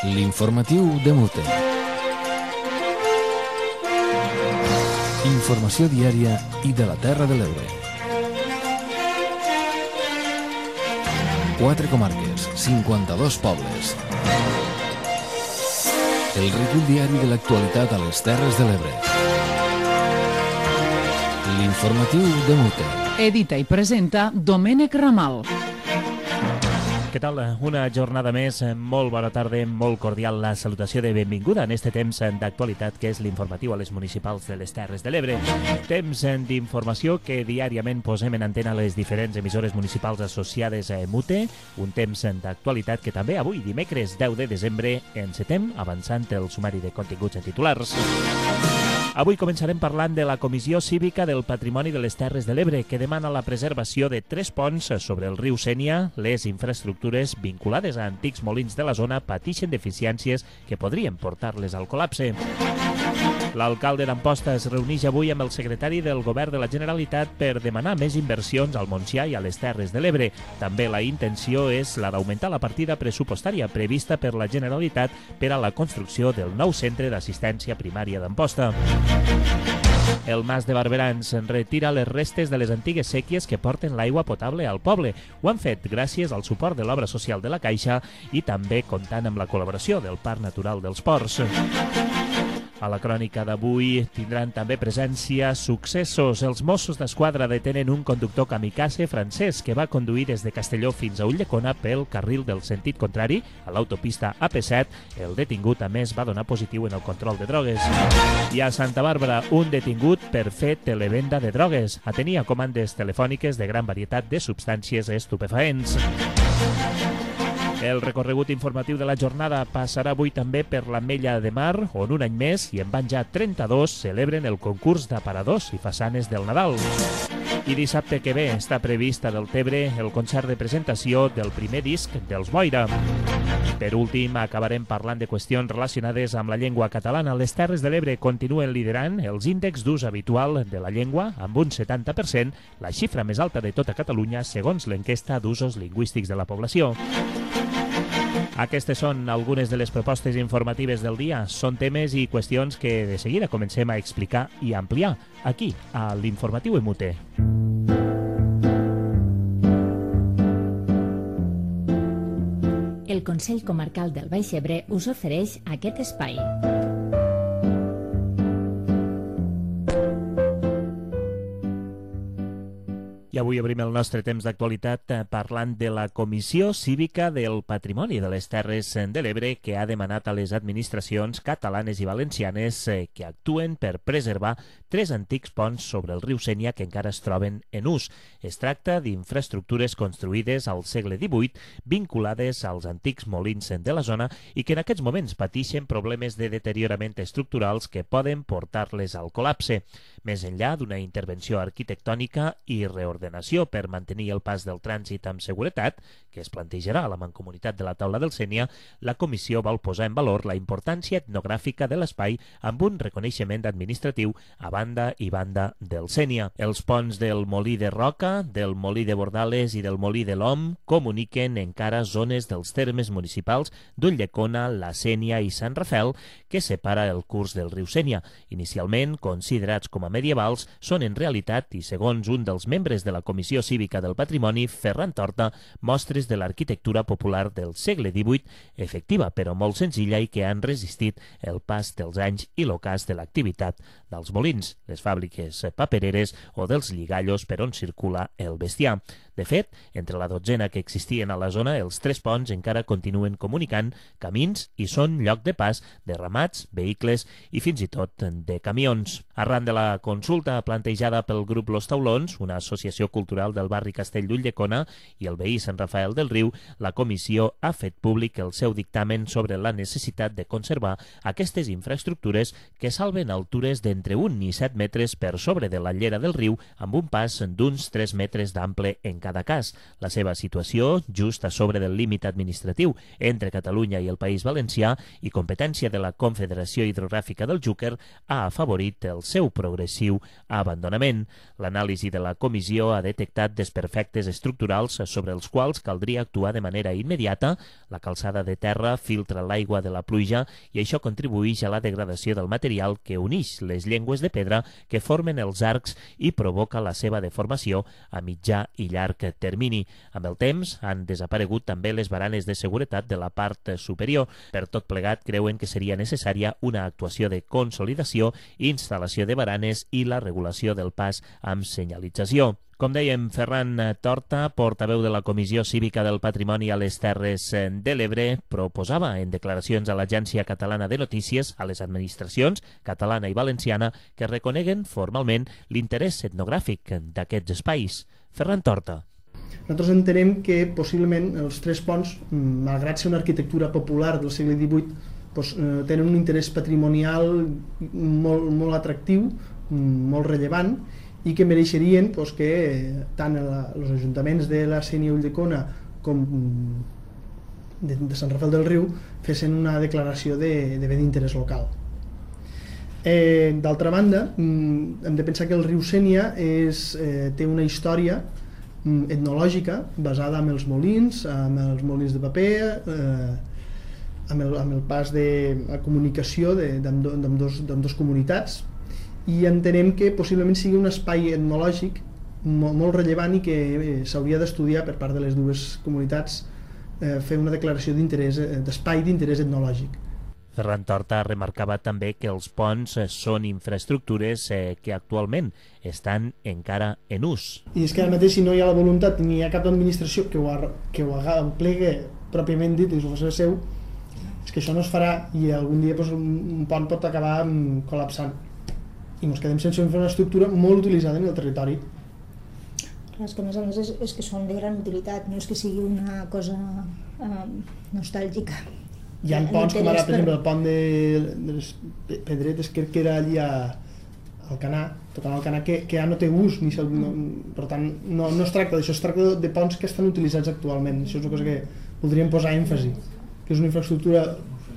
L'informatiu de Mute. Informació diària i de la Terra de l'Ebre. 4 comarques, 52 pobles. El recull diari de l'actualitat a les Terres de l'Ebre. L'informatiu de Mute. Edita i presenta Domènec Ramal. Què tal? Una jornada més, molt bona tarda, molt cordial la salutació de benvinguda en este temps d'actualitat que és l'informatiu a les municipals de les Terres de l'Ebre. Temps d'informació que diàriament posem en antena les diferents emissores municipals associades a Mute, un temps d'actualitat que també avui, dimecres 10 de desembre, encetem avançant el sumari de continguts en titulars. Avui començarem parlant de la Comissió Cívica del Patrimoni de les Terres de l'Ebre, que demana la preservació de 3 ponts sobre el riu Sénia. Les infraestructures vinculades a antics molins de la zona pateixen deficiències que podrien portar-les al col·lapse. L'alcalde d'Amposta es reuneix avui amb el secretari del Govern de la Generalitat per demanar més inversions al Montsià i a les Terres de l'Ebre. També la intenció és la d'augmentar la partida pressupostària prevista per la Generalitat per a la construcció del nou centre d'assistència primària d'Amposta. El Mas de Barberans retira les restes de les antigues séquies que porten l'aigua potable al poble. Ho han fet gràcies al suport de l'obra social de la Caixa i també comptant amb la col·laboració del Parc Natural dels Ports. A la crònica d'avui tindran també presència successos. Els Mossos d'Esquadra detenen un conductor kamikaze francès que va conduir des de Castelló fins a Ulldecona pel carril del sentit contrari a l'autopista AP7. El detingut, a més, va donar positiu en el control de drogues. I a Santa Bàrbara, un detingut per fer televenda de drogues. Atenia comandes telefòniques de gran varietat de substàncies estupefaents. El recorregut informatiu de la jornada passarà avui també per l'Ametlla de Mar, on un any més, i en van ja 32, celebren el concurs d'aparadors i façanes del Nadal. I dissabte que ve està previst a Deltebre el concert de presentació del primer disc dels Boira. Per últim, acabarem parlant de qüestions relacionades amb la llengua catalana. Les Terres de l'Ebre continuen liderant els índexs d'ús habitual de la llengua amb un 70%, la xifra més alta de tota Catalunya segons l'enquesta d'usos lingüístics de la població. Aquestes són algunes de les propostes informatives del dia. Són temes i qüestions que de seguida comencem a explicar i ampliar aquí, a l'Informatiu Mute. El Consell Comarcal del Baix Ebre us ofereix aquest espai. I avui obrim el nostre temps d'actualitat parlant de la Comissió Cívica del Patrimoni de les Terres de l'Ebre, que ha demanat a les administracions catalanes i valencianes que actuen per preservar 3 antics ponts sobre el riu Sénia que encara es troben en ús. Es tracta d'infraestructures construïdes al segle XVIII vinculades als antics molins de la zona i que en aquests moments pateixen problemes de deteriorament estructurals que poden portar-les al col·lapse. Més enllà d'una intervenció arquitectònica i reordenació per mantenir el pas del trànsit amb seguretat, que es plantejarà a la Mancomunitat de la Taula del Sénia, la comissió vol posar en valor la importància etnogràfica de l'espai amb un reconeixement administratiu a banda i banda del Sénia. Els ponts del Molí de Roca, del Molí de Bordales i del Molí de l'Om comuniquen encara zones dels termes municipals d'Ulldecona, la Sénia i Sant Rafel, que separa el curs del riu Sénia. Inicialment considerats com a medievals, són en realitat, i segons un dels membres de la Comissió Cívica del Patrimoni, Ferran Torta, mostres de l'arquitectura popular del segle XVIII, efectiva però molt senzilla i que han resistit el pas dels anys i l'ocàs de l'activitat dels molins, les fàbriques papereres o dels lligallos per on circula el bestiar. De fet, entre la dotzena que existien a la zona, els 3 ponts encara continuen comunicant camins i són lloc de pas de ramats, vehicles i fins i tot de camions. Arran de la consulta plantejada pel grup Los Taulons, una associació cultural del barri Castell d'Ulldecona i el veí Sant Rafael del Riu, la comissió ha fet públic el seu dictamen sobre la necessitat de conservar aquestes infraestructures que salven altures d'entre 1 i 7 metres per sobre de la llera del riu amb un pas d'uns 3 metres d'ample en cada cas. La seva situació, just a sobre del límit administratiu entre Catalunya i el País Valencià i competència de la Confederació Hidrogràfica del Xúquer, ha afavorit el seu progressiu abandonament. L'anàlisi de la comissió ha detectat desperfectes estructurals sobre els quals caldria actuar de manera immediata. La calçada de terra filtra l'aigua de la pluja i això contribueix a la degradació del material que uneix les llengües de pedra que formen els arcs i provoca la seva deformació a mitjà i llarg termini. Amb el temps han desaparegut també les baranes de seguretat de la part superior. Per tot plegat, creuen que seria necessària una actuació de consolidació, instal·lació de baranes i la regulació del pas amb senyalització. Com dèiem, Ferran Torta, portaveu de la Comissió Cívica del Patrimoni a les Terres de l'Ebre, proposava en declaracions a l'Agència Catalana de Notícies a les administracions catalana i valenciana que reconeguen formalment l'interès etnogràfic d'aquests espais. Ferran Torta. Nosaltres entenem que possiblement els tres ponts, malgrat ser una arquitectura popular del segle XVIII, tenen un interès patrimonial molt atractiu, molt rellevant, i que mereixerien que tant els ajuntaments de la Sénia i Ulldecona com de Sant Rafel del Riu fessin una declaració de bé d'interès local. D'altra banda, hem de pensar que el riu Sénia té una història etnològica basada en els molins de paper, amb el pas de la comunicació d'ambdós comunitats, i entenem que possiblement sigui un espai etnològic molt rellevant i que s'hauria d'estudiar per part de les dues comunitats, fer una declaració d'espai d'interès etnològic. Ferran Torta remarcava també que els ponts són infraestructures que actualment estan encara en ús. I és que ara mateix, si no hi ha la voluntat ni hi ha cap administració que ho plegui pròpiament dit i ho faci seu, és que això no es farà i algun dia un pont pot acabar col·lapsant i ens quedem sense una infraestructura molt utilitzada en el territori. És que a més és que són de gran utilitat, no és que sigui una cosa nostàlgica. Hi ha ponts com ara, per exemple, el pont de les Pedretes, que era allí al Canà, tocant al Canà, que ja no té ús, per tant no es tracta d'això, es tracta de ponts que estan utilitzats actualment. Això és una cosa que podríem posar èmfasi, que és una infraestructura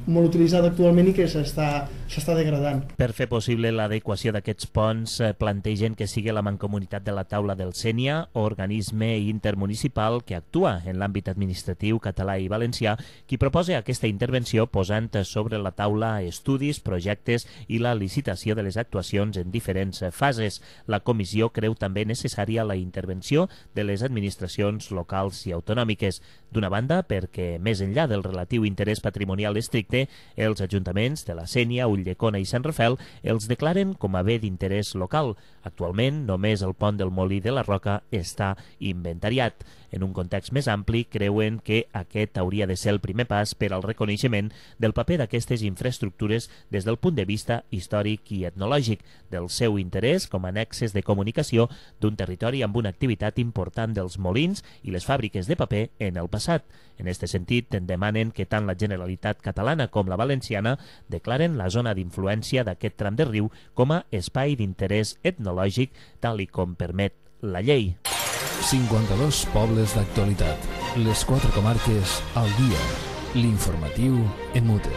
molt utilitzada actualment i que s'està degradant. Per fer possible l'adequació d'aquests ponts, plantegen que sigui la Mancomunitat de la Taula del Sénia, organisme intermunicipal que actua en l'àmbit administratiu català i valencià, qui proposa aquesta intervenció posant sobre la taula estudis, projectes i la licitació de les actuacions en diferents fases. La comissió creu també necessària la intervenció de les administracions locals i autonòmiques. D'una banda, perquè més enllà del relatiu interès patrimonial estricte, els ajuntaments de la Sénia, Ulldecona i Sant Rafel els declaren com a bé d'interès local. Actualment, només el pont del Molí de la Roca està inventariat. En un context més ampli, creuen que aquest hauria de ser el primer pas per al reconeixement del paper d'aquestes infraestructures des del punt de vista històric i etnològic, del seu interès com a nexes de comunicació d'un territori amb una activitat important dels molins i les fàbriques de paper en el passat. En aquest sentit, demanen que tant la Generalitat catalana com la valenciana declaren la zona d'influència d'aquest tram de riu com a espai d'interès etnològic, tal i com permet la llei. 52 pobles d'actualitat. Les 4 comarques al dia. L'informatiu en mute.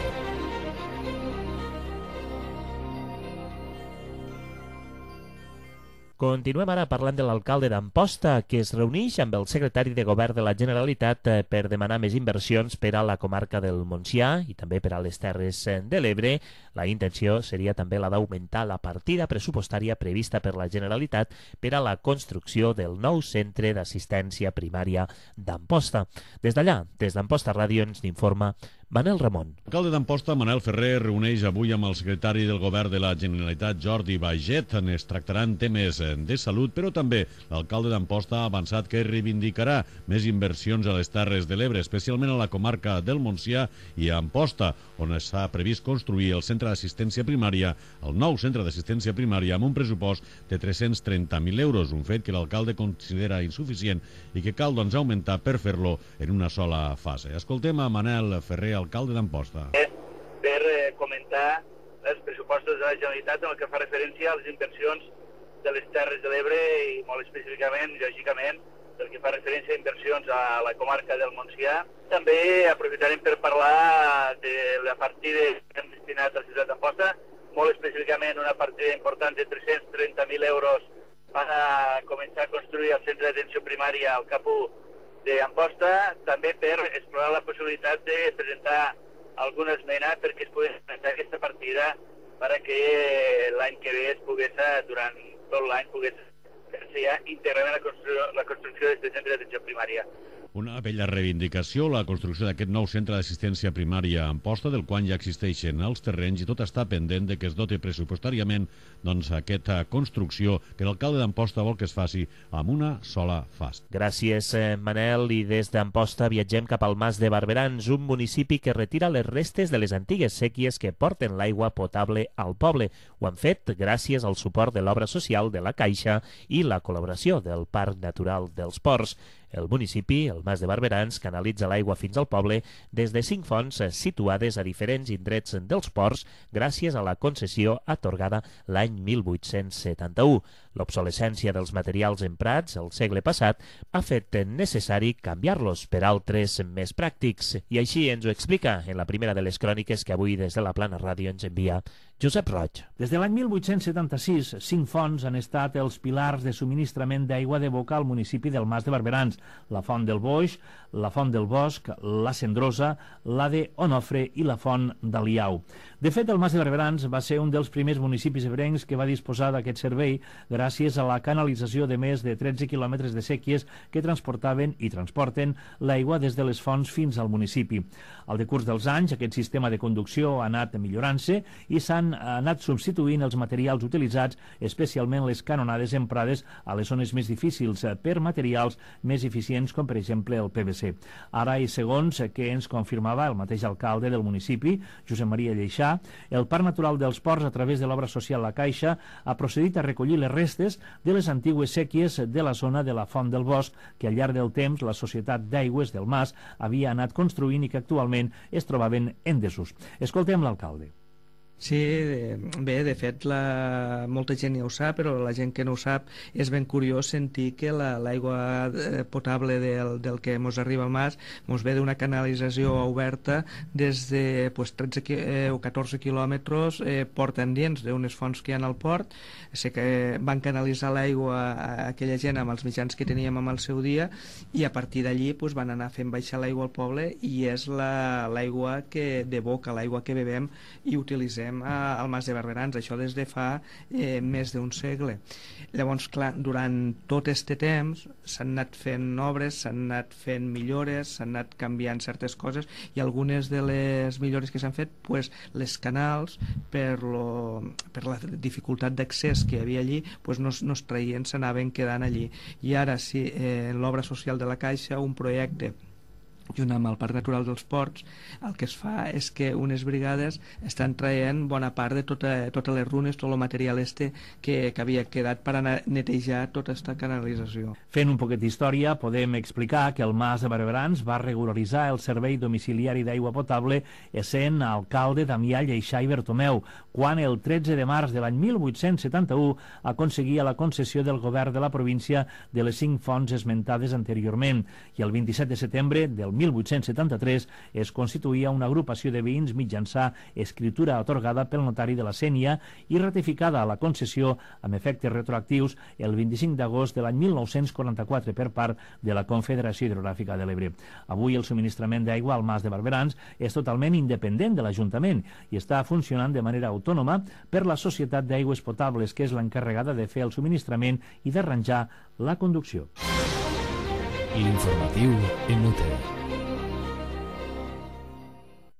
Continuem ara parlant de l'alcalde d'Amposta, que es reuneix amb el secretari de Govern de la Generalitat per demanar més inversions per a la comarca del Montsià i també per a les Terres de l'Ebre. La intenció seria també la d'augmentar la partida pressupostària prevista per la Generalitat per a la construcció del nou centre d'assistència primària d'Amposta. Des d'allà, des d'Amposta Ràdio, ens n'informa Manel Ramon. L'alcalde d'Amposta, Manel Ferrer, reuneix avui amb el secretari del Govern de la Generalitat, Jordi Baiget. Es tractaran temes de salut, però també l'alcalde d'Amposta ha avançat que reivindicarà més inversions a les Terres de l'Ebre, especialment a la comarca del Montsià i a Amposta, on s'ha previst construir el centre d'assistència primària, el nou centre d'assistència primària, amb un pressupost de 330.000 euros, un fet que l'alcalde considera insuficient i que cal augmentar per fer-lo en una sola fase. Escoltem a Manel Ferrer, alcalde d'Amposta. Per comentar els pressupostos de la Generalitat en el que fa referència a les inversions de les Terres de l'Ebre i molt específicament, lògicament, pel que fa referència a inversions a la comarca del Montsià. També aprofitarem per parlar de la partida que hem destinat a la ciutat d'Amposta, molt específicament una partida important de 330.000 euros van a començar a construir el centre d'atenció primària al Cap 1 d'Amposta, també per explorar la possibilitat de presentar alguna esmena perquè es pugui presentar aquesta partida perquè l'any que ve es pogués, durant tot l'any, pogués fer-se ja íntegrament la construcció d'aquest centre d'atenció primària. Una bella reivindicació, la construcció d'aquest nou centre d'assistència primària a Amposta, del qual ja existeixen els terrenys, i tot està pendent de que es dote pressupostàriament aquesta construcció que l'alcalde d'Amposta vol que es faci amb una sola fase. Gràcies, Manel. I des d'Amposta viatgem cap al Mas de Barberans, un municipi que retira les restes de les antigues séquies que porten l'aigua potable al poble. Ho han fet gràcies al suport de l'obra social de la Caixa i la col·laboració del Parc Natural dels Ports. El municipi, el Mas de Barberans, canalitza l'aigua fins al poble des de 5 fonts situades a diferents indrets dels ports gràcies a la concessió atorgada l'any 1871. L'obsolescència dels materials emprats el segle passat ha fet necessari canviar-los per altres més pràctics. I així ens ho explica en la primera de les cròniques que avui des de la Plana Ràdio ens envia Josep Roig. Des de l'any 1876, 5 fonts han estat els pilars de subministrament d'aigua de boca al municipi del Mas de Barberans: la Font del Boix, la Font del Bosc, la Cendrosa, la de Onofre i la Font d'Aliau. De fet, el Mas de Barberans va ser un dels primers municipis ebrencs que va disposar d'aquest servei gràcies a la canalització de més de 13 quilòmetres de séquies que transportaven i transporten l'aigua des de les fonts fins al municipi. Al decurs dels anys, aquest sistema de conducció ha anat millorant-se i s'han anat substituint els materials utilitzats, especialment les canonades emprades a les zones més difícils, per materials més eficients com per exemple el PVC. Ara, i segons que ens confirmava el mateix alcalde del municipi, Josep Maria Lleixà, el Parc Natural dels Ports, a través de l'obra social La Caixa, ha procedit a recollir les restes de les antigues séquies de la zona de la Font del Bosc, que al llarg del temps la Societat d'Aigües del Mas havia anat construint i que actualment es trobaven en desús. Escoltem l'alcalde. Sí, bé, de fet molta gent ja ho sap, però la gent que no ho sap és ben curiós sentir que l'aigua potable del que ens arriba al Mas ens ve d'una canalització oberta des de 13 o 14 quilòmetres port endins d'unes fonts que hi ha al port. Sé que van canalitzar l'aigua a aquella gent amb els mitjans que teníem amb el seu dia, i a partir d'allí van anar fent baixar l'aigua al poble, i és l'aigua de boca, l'aigua que bevem i utilitzem al Mas de Barberans, això des de fa més d'un segle. Llavors, clar, durant tot aquest temps s'han anat fent obres, s'han anat fent millores, s'han anat canviant certes coses, i algunes de les millores que s'han fet, les canals, per la dificultat d'accés que hi havia allí, no es traien, s'anaven quedant allí. I ara sí, en l'obra social de la Caixa, un projecte junt amb el Parc Natural dels Ports, el que es fa és que unes brigades estan traient bona part de totes les runes, tot el material que havia quedat per anar a netejar tota aquesta canalització. Fent un poquet d'història, podem explicar que el Mas de Barberans va regularitzar el servei domiciliari d'aigua potable essent alcalde Damià Lleixà i Bertomeu, quan el 13 de març de l'any 1871 aconseguia la concessió del govern de la província de les 5 fonts esmentades anteriorment, i el 27 de setembre del 1873 es constituïa una agrupació de veïns mitjançant escritura atorgada pel notari de la Sénia i ratificada a la concessió amb efectes retroactius el 25 d'agost de l'any 1944 per part de la Confederació Hidrogràfica de l'Ebre. Avui el subministrament d'aigua al Mas de Barberans és totalment independent de l'Ajuntament i està funcionant de manera autònoma per la Societat d'Aigües Potables, que és l'encarregada de fer el subministrament i d'arranjar la conducció. L'informatiu en UTE.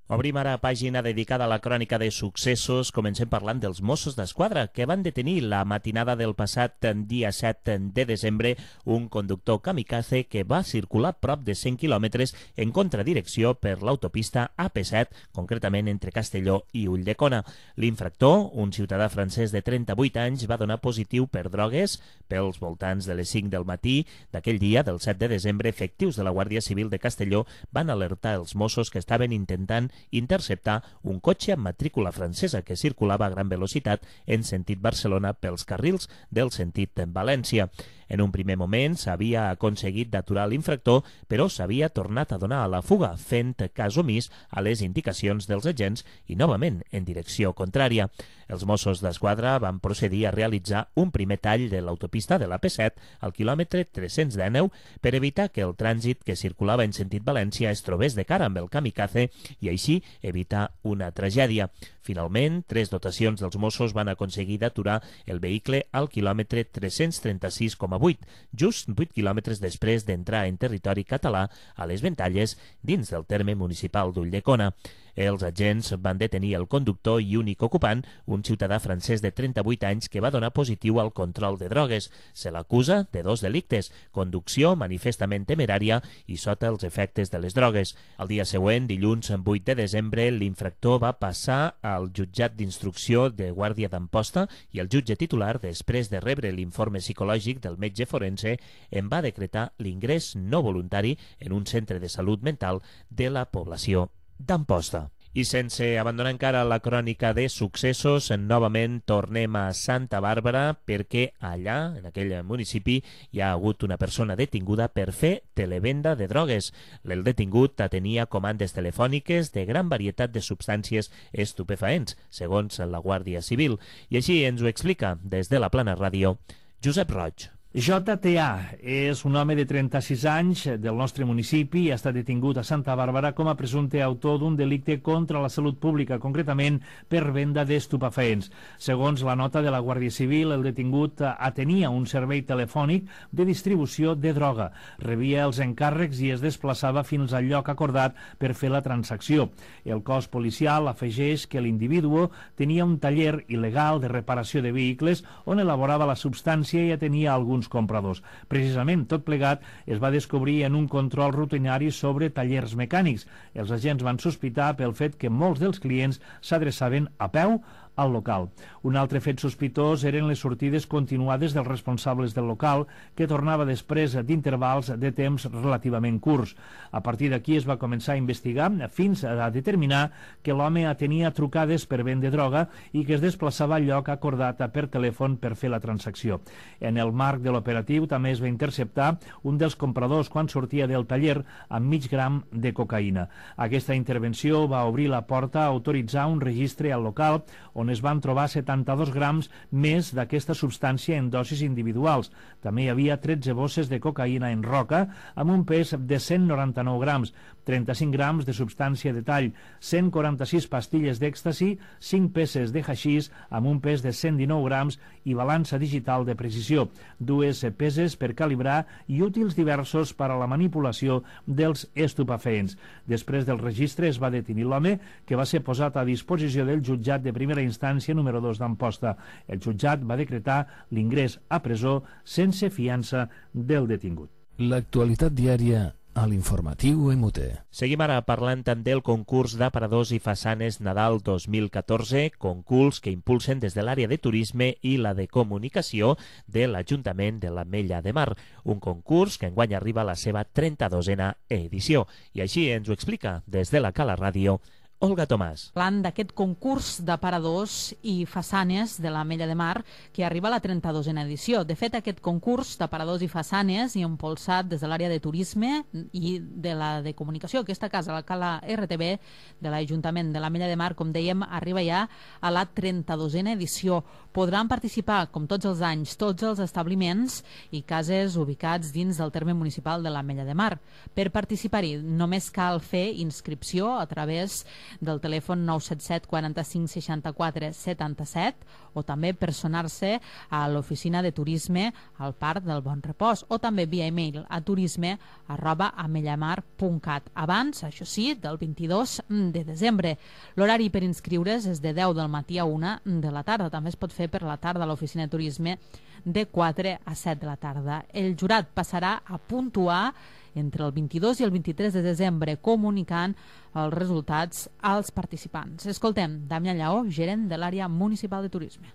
Obrim ara pàgina dedicada a la crònica de successos. Comencem parlant dels Mossos d'Esquadra, que van detenir la matinada del passat dia 7 de desembre un conductor kamikaze que va circular prop de 100 quilòmetres en contradirecció per l'autopista AP7, concretament entre Castelló i Ulldecona. L'infractor, un ciutadà francès de 38 anys, va donar positiu per drogues pels voltants de les 5 del matí d'aquell dia, del 7 de desembre. Efectius de la Guàrdia Civil de Castelló van alertar els Mossos que estaven intentant interceptar un cotxe amb matrícula francesa que circulava a gran velocitat en sentit Barcelona pels carrils del sentit València. En un primer moment s'havia aconseguit d'aturar l'infractor, però s'havia tornat a donar a la fuga, fent cas omís a les indicacions dels agents i novament en direcció contrària. Els Mossos d'Esquadra van procedir a realitzar un primer tall de l'autopista de la P7 al quilòmetre 319 per evitar que el trànsit que circulava en sentit València es trobés de cara amb el kamikaze i així evitar una tragèdia. Finalment, 3 dotacions dels Mossos van aconseguir d'aturar el vehicle al quilòmetre 336,8, just 8 quilòmetres després d'entrar en territori català a les Ventalles dins del terme municipal d'Ulldecona. Els agents van detenir el conductor i únic ocupant, un ciutadà francès de 38 anys que va donar positiu al control de drogues. Se l'acusa de 2 delictes, conducció manifestament temerària i sota els efectes de les drogues. El dia següent, dilluns 8 de desembre, l'infractor va passar al jutjat d'instrucció de Guàrdia d'Amposta i el jutge titular, després de rebre l'informe psicològic del metge forense, en va decretar l'ingrés no voluntari en un centre de salut mental de la població d'Amposta. I sense abandonar encara la crònica de successos, novament tornem a Santa Bàrbara perquè allà, en aquell municipi, hi ha hagut una persona detinguda per fer televenda de drogues. El detingut tenia comandes telefòniques de gran varietat de substàncies estupefaents, segons la Guàrdia Civil. I així ens ho explica des de la Plana Ràdio Josep Roig. JTA és un home de 36 anys del nostre municipi i ha estat detingut a Santa Bàrbara com a presumpte autor d'un delicte contra la salut pública, concretament per venda d'estupefaents. Segons la nota de la Guàrdia Civil, el detingut atenia un servei telefònic de distribució de droga, rebia els encàrrecs i es desplaçava fins al lloc acordat per fer la transacció. El cos policial afegeix que l'individu tenia un taller il·legal de reparació de vehicles on elaborava la substància i atenia alguns compradors. Precisament tot plegat es va descobrir en un control rutinari sobre tallers mecànics. Els agents van sospitar pel fet que molts dels clients s'adreçaven a peu al local. Un altre fet sospitós eren les sortides continuades dels responsables del local, que tornava després d'intervals de temps relativament curts. A partir d'aquí es va començar a investigar fins a determinar que l'home atenia trucades per vendre droga i que es desplaçava al lloc acordat per telèfon per fer la transacció. En el marc de l'operatiu també es va interceptar un dels compradors quan sortia del taller amb mig gram de cocaïna. Aquesta intervenció va obrir la porta a autoritzar un registre al local on es van trobar 72 grams més d'aquesta substància en dosis individuals. També hi havia 13 bosses de cocaïna en roca amb un pes de 199 grams, 35 grams de substància de tall, 146 pastilles d'èxtasi, 5 peces de haixís amb un pes de 119 grams i balança digital de precisió, 2 peses per calibrar i útils diversos per a la manipulació dels estupefaents. Després del registre es va detenir l'home, que va ser posat a disposició del jutjat de primera instància número 2 d'Amposta. El jutjat va decretar l'ingrés a presó sense fiança del detingut. L'actualitat diària a l'informatiu MUT. Seguim ara parlant del concurs d'aparadors i façanes Nadal 2014, concurs que impulsen des de l'àrea de turisme i la de comunicació de l'Ajuntament de l'Ametlla de Mar, un concurs que enguany arriba a la seva 32a edició. I així ens ho explica des de la Cala Ràdio Olga Tomàs. Parlant d'aquest concurs d'aparadors i façanes de l'Ametlla de Mar que arriba a la 32a edició. De fet, aquest concurs d'aparadors i façanes i impulsat des de l'àrea de turisme i de la de comunicació, aquesta casa, la Cala RTV de l'Ajuntament de l'Ametlla de Mar, com dèiem, arriba ja a la 32a edició. Podran participar, com tots els anys, tots els establiments i cases ubicats dins del terme municipal de l'Ametlla de Mar. Per participar-hi només cal fer inscripció a través del telèfon 977 45 64 77 o també personar-se a l'oficina de turisme al Parc del Bon Repòs o també via email a turisme@amellamar.cat abans, això sí, del 22 de desembre. L'horari per inscriure's és de 10 del matí a 1 de la tarda. També es pot fer per la tarda a l'oficina de turisme de 4 a 7 de la tarda. El jurat passarà a puntuar entre el 22 i el 23 de desembre, comunicant els resultats als participants. Escoltem Damià Lleó, gerent de l'àrea municipal de turisme.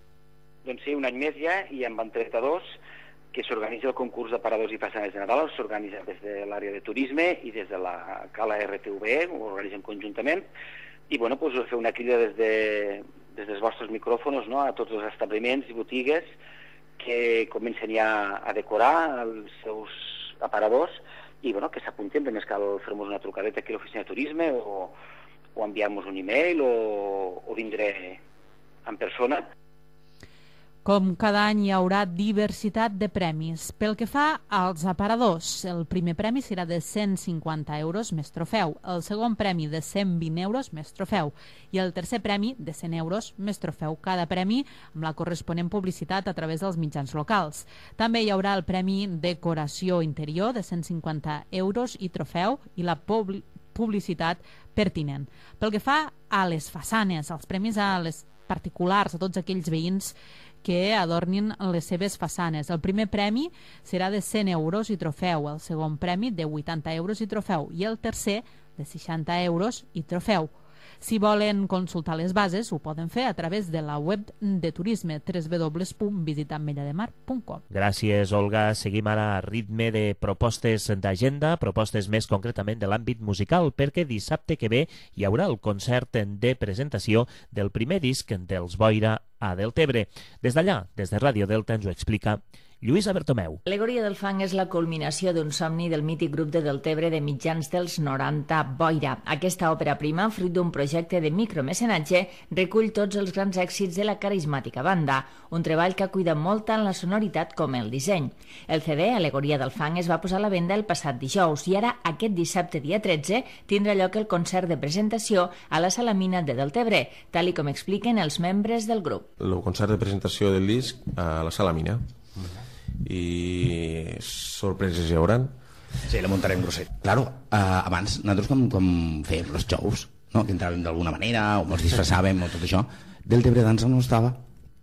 Doncs sí, un any més ja, i en van 32, que s'organitza el concurs d'aparadors i façanes de Nadal, s'organitza des de l'àrea de turisme i des de la Cala RTV, ho organitzem conjuntament, I bueno, doncs fer una crida des dels vostres micròfons, no?, a tots els establiments i botigues que comencen ja a decorar els seus aparadors i bueno, que s'apuntin, només cal fer-nos una trucadeta aquí a l'oficina de turisme o enviar-nos un e-mail o vindre en persona. Com cada any hi haurà diversitat de premis. Pel que fa als aparadors, el primer premi serà de 150 euros més trofeu, el segon premi de 120 euros més trofeu i el tercer premi de 100 euros més trofeu. Cada premi amb la corresponent publicitat a través dels mitjans locals. També hi haurà el premi Decoració Interior de 150 euros i trofeu i la publicitat pertinent. Pel que fa a les façanes, els premis a les particulars, a tots aquells veïns que adornin les seves façanes. El primer premi serà de 100 euros i trofeu, el segon premi de 80 euros i trofeu i el tercer de 60 euros i trofeu. Si volen consultar les bases, ho poden fer a través de la web de turisme www.visitamellademar.com. Gràcies, Olga. Seguim ara a ritme de propostes d'agenda, propostes més concretament de l'àmbit musical, perquè dissabte que ve hi haurà el concert de presentació del primer disc dels Boira a Deltebre. Des d'allà, des de Ràdio Delta, ens ho explica Lluïsa Bertomeu. Alegoria del fang és la culminació d'un somni del mític grup de Deltebre de mitjans dels 90, Boira. Aquesta òpera prima, fruit d'un projecte de micromecenatge, recull tots els grans èxits de la carismàtica banda, un treball que cuida molt tant la sonoritat com el disseny. El CD, Alegoria del fang, es va posar a la venda el passat dijous i ara, aquest dissabte dia 13, tindrà lloc el concert de presentació a la Sala Mina de Deltebre, tal i com expliquen els membres del grup. El concert de presentació del disc a la Sala Mina. I sorpreses hi hauran. Sí, la muntarem grosset. Claro, abans nosaltres com fèiem els shows, no? Que entràvem d'alguna manera o ens disfressàvem o tot això, Deltebre Dansa no estava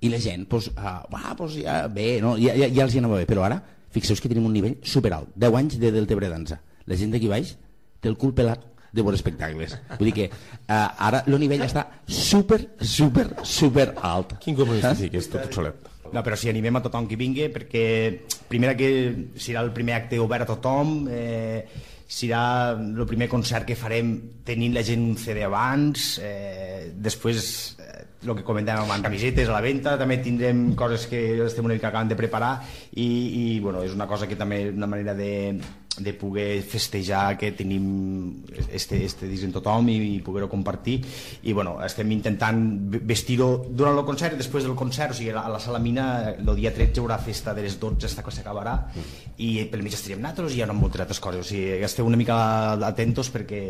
i la gent ja bé, no? ja els hi anava bé, però ara fixeu que tenim un nivell superalt, 10 anys de Deltebre Dansa, la gent d'aquí baix té el cul pelat de veure espectacles, vull dir que ara el nivell està super alt. Quin comunista sí que és tot obsolet. No, però si animem a tothom que vingui, perquè primer que serà el primer acte obert a tothom, serà el primer concert que farem tenint la gent un CD abans, després el que comentàvem amb camisetes a la venda, també tindrem coses que estem una mica acabant de preparar i bueno, és una cosa que també és una manera de poder festejar que tenim este disc en tothom i poder-ho compartir i bueno, estem intentant vestir-ho durant el concert i després del concert, o sigui, a la Sala Mina el dia 13 hi haurà festa de les 12 hasta que s'acabarà i pel mig estaríem nosaltres i hi haurà moltes altres coses, o sigui, esteu una mica atentos perquè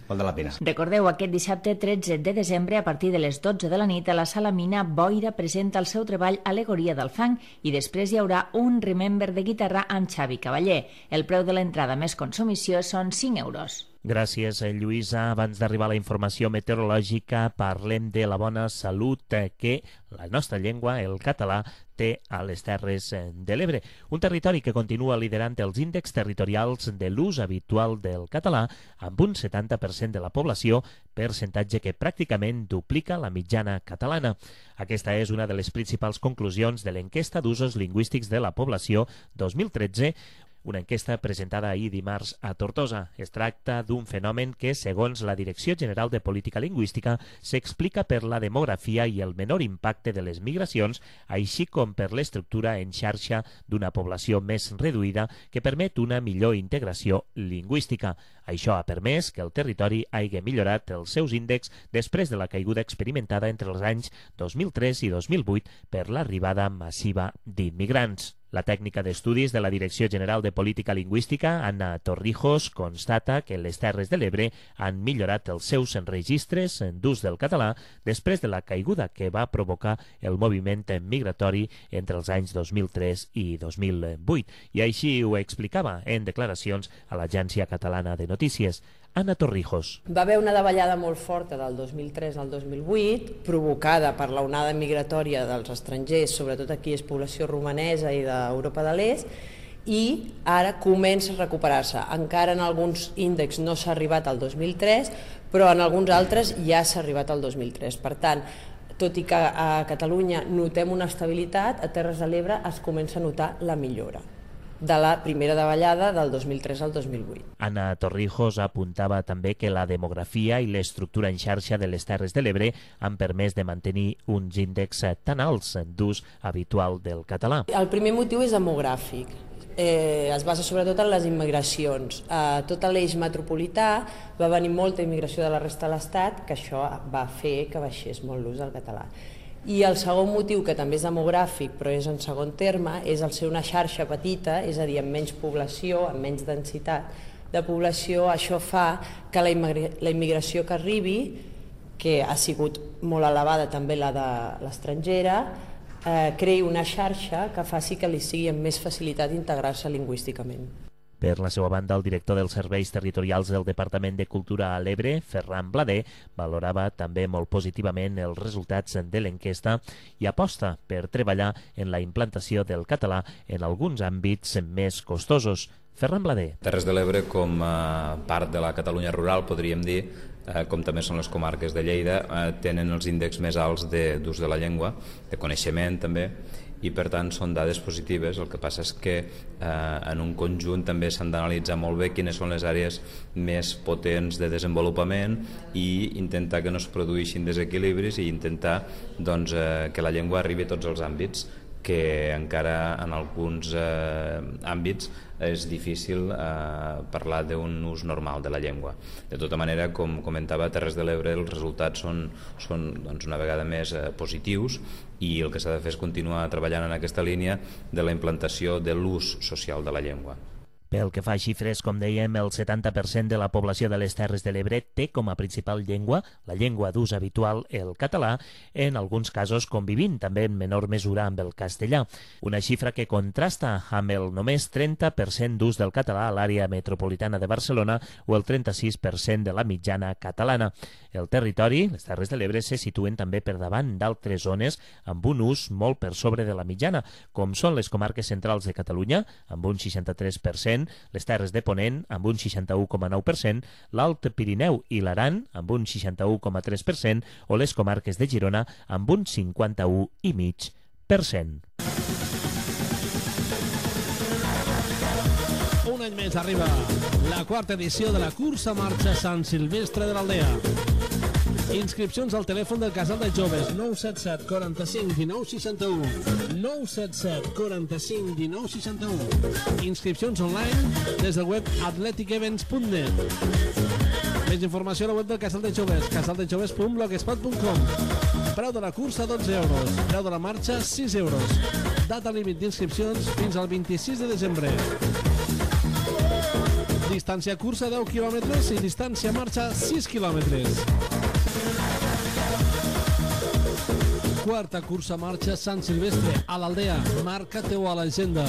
val de la pena. Recordeu, aquest dissabte 13 de desembre, a partir de les 12 de la nit, a la Sala Mina, Boira presenta el seu treball Alegoria del fang i després hi haurà un Remember de guitarra amb Xavi Cavaller. El preu de l'entrada més consumició són 5 euros. Gràcies, Lluïsa. Abans d'arribar a la informació meteorològica, parlem de la bona salut que la nostra llengua, el català, té a les Terres de l'Ebre. Un territori que continua liderant els índexs territorials de l'ús habitual del català amb un 70% de la població, percentatge que pràcticament duplica la mitjana catalana. Aquesta és una de les principals conclusions de l'enquesta d'usos lingüístics de la població 2013, una enquesta presentada ahir dimarts a Tortosa. Es tracta d'un fenomen que, segons la Direcció General de Política Lingüística, s'explica per la demografia i el menor impacte de les migracions, així com per l'estructura en xarxa d'una població més reduïda que permet una millor integració lingüística. Això ha permès que el territori hagi millorat els seus índexs després de la caiguda experimentada entre els anys 2003 i 2008 per l'arribada massiva d'immigrants. La tècnica d'estudis de la Direcció General de Política Lingüística, Anna Torrijos, constata que les Terres de l'Ebre han millorat els seus registres d'ús del català després de la caiguda que va provocar el moviment migratori entre els anys 2003 i 2008. I així ho explicava en declaracions a l'Agència Catalana de Notícies. Anna Torrijos. Va haver una davallada molt forta del 2003 al 2008, provocada per l'onada migratòria dels estrangers, sobretot aquí és població romanesa i d'Europa de l'Est, i ara comença a recuperar-se. Encara en alguns índexs no s'ha arribat al 2003, però en alguns altres ja s'ha arribat al 2003. Per tant, tot i que a Catalunya notem una estabilitat, a Terres de l'Ebre es comença a notar la millora. de la primera davallada del 2003 al 2008. Anna Torrijos apuntava també que la demografia i l'estructura en xarxa de les Terres de l'Ebre han permès de mantenir uns índexs tan alts d'ús habitual del català. El primer motiu és demogràfic. Es basa sobretot en les immigracions. A tot l'eix metropolità va venir molta immigració de la resta de l'Estat, que això va fer que baixés molt l'ús del català. I el segon motiu, que també és demogràfic, però és en segon terme, és el ser una xarxa petita, és a dir, amb menys població, amb menys densitat de població. Això fa que la immigració que arribi, que ha sigut molt elevada també la de l'estrangera, creï una xarxa que faci que li sigui amb més facilitat integrar-se lingüísticament. Per la seva banda, el director dels serveis territorials del Departament de Cultura a l'Ebre, Ferran Blader, valorava també molt positivament els resultats de l'enquesta i aposta per treballar en la implantació del català en alguns àmbits més costosos. Ferran Blader. Terres de l'Ebre, com a part de la Catalunya rural, podríem dir, com també són les comarques de Lleida, tenen els índexs més alts d'ús de la llengua, de coneixement també, i per tant són dades positives. El que passa és que en un conjunt també s'han d'analitzar molt bé quines són les àrees més potents de desenvolupament i intentar que no es produïxin desequilibris i intentar que la llengua arribi a tots els àmbits, que encara en alguns àmbits és difícil parlar d'un ús normal de la llengua. De tota manera, com comentava, a Terres de l'Ebre els resultats són una vegada més positius i el que s'ha de fer és continuar treballant en aquesta línia de la implantació de l'ús social de la llengua. Pel que fa a xifres, com dèiem, el 70% de la població de les Terres de l'Ebre té com a principal llengua la llengua d'ús habitual, el català, en alguns casos convivint també en menor mesura amb el castellà. Una xifra que contrasta amb el només 30% d'ús del català a l'àrea metropolitana de Barcelona o el 36% de la mitjana catalana. El territori, les Terres de l'Ebre, se situen també per davant d'altres zones amb un ús molt per sobre de la mitjana, com són les comarques centrals de Catalunya, amb un 63%, les Terres de Ponent amb un 61,9%, l'Alt Pirineu i l'Aran amb un 61,3% o les comarques de Girona amb un 51,5%. Un any més arriba la quarta edició de la cursa marxa Sant Silvestre de l'Aldea. Inscripcions al telèfon del Casal de Joves 977 45 19 61 977 45 19 61. Inscripcions online des del web athleticevents.net. Més informació a la web del Casal de Joves, casaldejoves.blogspot.com. Preu de la cursa 12 euros, preu de la marxa 6 euros. Data límit d'inscripcions fins al 26 de desembre. Distància cursa 10 quilòmetres i distància marxa 6 quilòmetres. Quarta cursa marxa Sant Silvestre a l'Aldea. Marca-te-ho a l'agenda.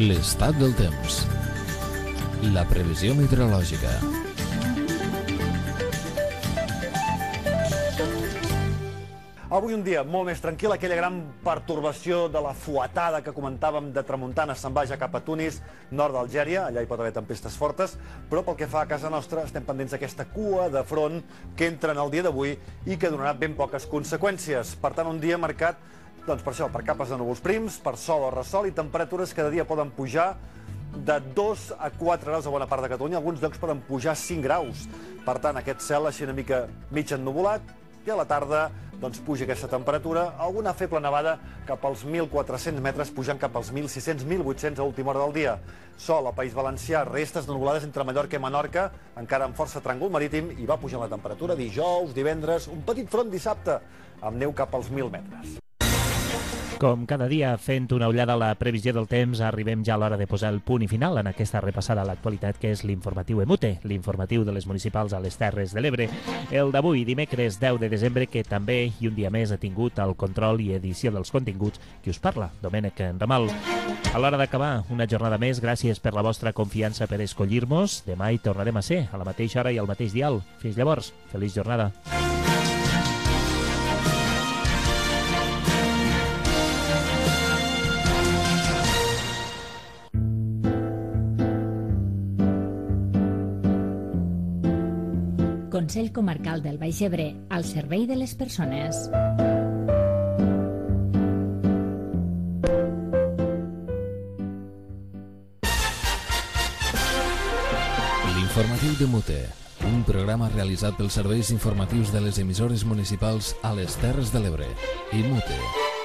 L'estat del temps. La previsió meteorològica. Avui un dia molt més tranquil, aquella gran pertorbació de la fuetada que comentàvem de tramuntana se'n va ja cap a Tunis, nord d'Algèria, allà hi pot haver tempestes fortes, però pel que fa a casa nostra estem pendents d'aquesta cua de front que entra en el dia d'avui i que donarà ben poques conseqüències. Per tant, un dia marcat, doncs per això, per capes de núvols prims, per sol o ressol i temperatures que cada dia poden pujar de 2 a 4 graus a bona part de Catalunya, alguns llocs poden pujar 5 graus. Per tant, aquest cel així una mica mig ennuvolat i a la tarda doncs puja aquesta temperatura, alguna feble nevada cap als 1.400 metres, pujant cap als 1.600, 1.800 a última hora del dia. Sol al País Valencià, restes de nuvolades entre Mallorca i Menorca, encara amb força tràngol marítim, i va pujant la temperatura dijous, divendres, un petit front dissabte, amb neu cap als 1.000 metres. Com cada dia, fent una ullada a la previsió del temps, arribem ja a l'hora de posar el punt i final en aquesta repassada a l'actualitat que és l'informatiu EMUTE, l'informatiu de les municipals a les Terres de l'Ebre. El d'avui, dimecres 10 de desembre, que també i un dia més ha tingut el control i edició dels continguts qui us parla, Domènec Ramal. A l'hora d'acabar, una jornada més, gràcies per la vostra confiança per escollir-nos. Demà hi tornarem a ser, a la mateixa hora i al mateix dial. Fins llavors, feliç jornada. Consell Comarcal del Baix Ebre, al servei de les persones. L'informatiu de Mute, un programa realitzat pels serveis informatius de les emissores municipals a les Terres de l'Ebre i Mute.